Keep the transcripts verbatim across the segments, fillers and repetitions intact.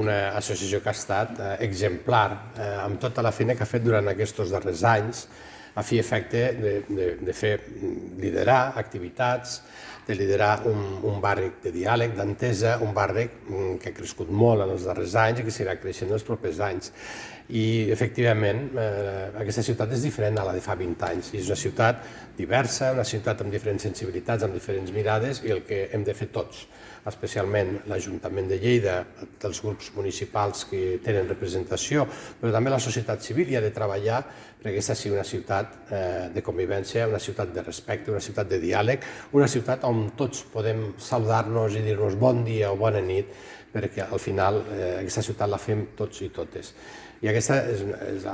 una associació que ha estat eh, exemplar eh, amb tota la feina que ha fet durant aquests darrers anys a fi i efecte de, de, de fer liderar activitats, de liderar un, un barri de diàleg, d'entesa, un barri que ha crescut molt en els darrers anys i que seguirà creixent en els propers anys. I, efectivament, eh, aquesta ciutat és diferent a la de fa vint anys. I és una ciutat diversa, una ciutat amb diferents sensibilitats, amb diferents mirades, i el que hem de fer tots, especialment l'Ajuntament de Lleida, dels grups municipals que tenen representació, però també la societat civil, hi ha de treballar perquè aquesta sigui una ciutat eh, de convivència, una ciutat de respecte, una ciutat de diàleg, una ciutat on tots podem saludar-nos i dir-nos bon dia o bona nit, perquè al final eh, aquesta ciutat la fem tots i totes. I aquest és, és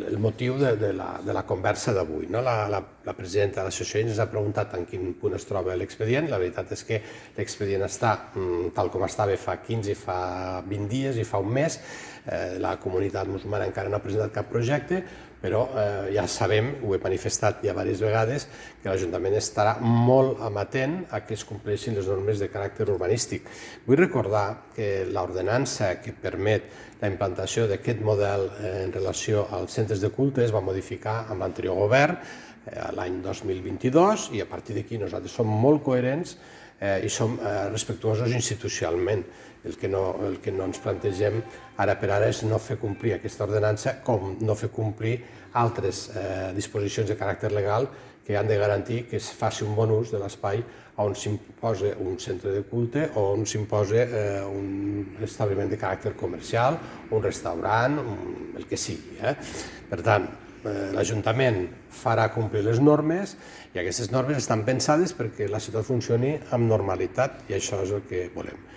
el motiu de, de, la, de la conversa d'avui. No? La, la, la presidenta de l'associació ens ha preguntat en quin punt es troba l'expedient. La veritat és que l'expedient està mm, tal com estava fa quinze, fa vint dies i fa un mes. Eh, la comunitat musulmana encara no ha presentat cap projecte, però eh, ja sabem, ho he manifestat ja diverses vegades, que l'Ajuntament estarà molt amatent a que es compleixin les normes de caràcter urbanístic. Vull recordar que l'ordenança que permet la implantació d'aquest model eh, en relació als centres de culte es va modificar amb l'anterior govern eh, l'any dos mil vint-i-dos, i a partir d'aquí nosaltres som molt coherents eh, i som eh, respectuosos institucionalment. El que, no, el que no ens plantegem ara per ara és no fer complir aquesta ordenança, com no fer complir altres eh, disposicions de caràcter legal que han de garantir que es faci un bon ús de l'espai on s'imposa un centre de culte o on s'imposa eh, un establiment de caràcter comercial, un restaurant, un, el que sigui. Eh? Per tant, eh, l'Ajuntament farà complir les normes i aquestes normes estan pensades perquè la ciutat funcioni amb normalitat, i això és el que volem.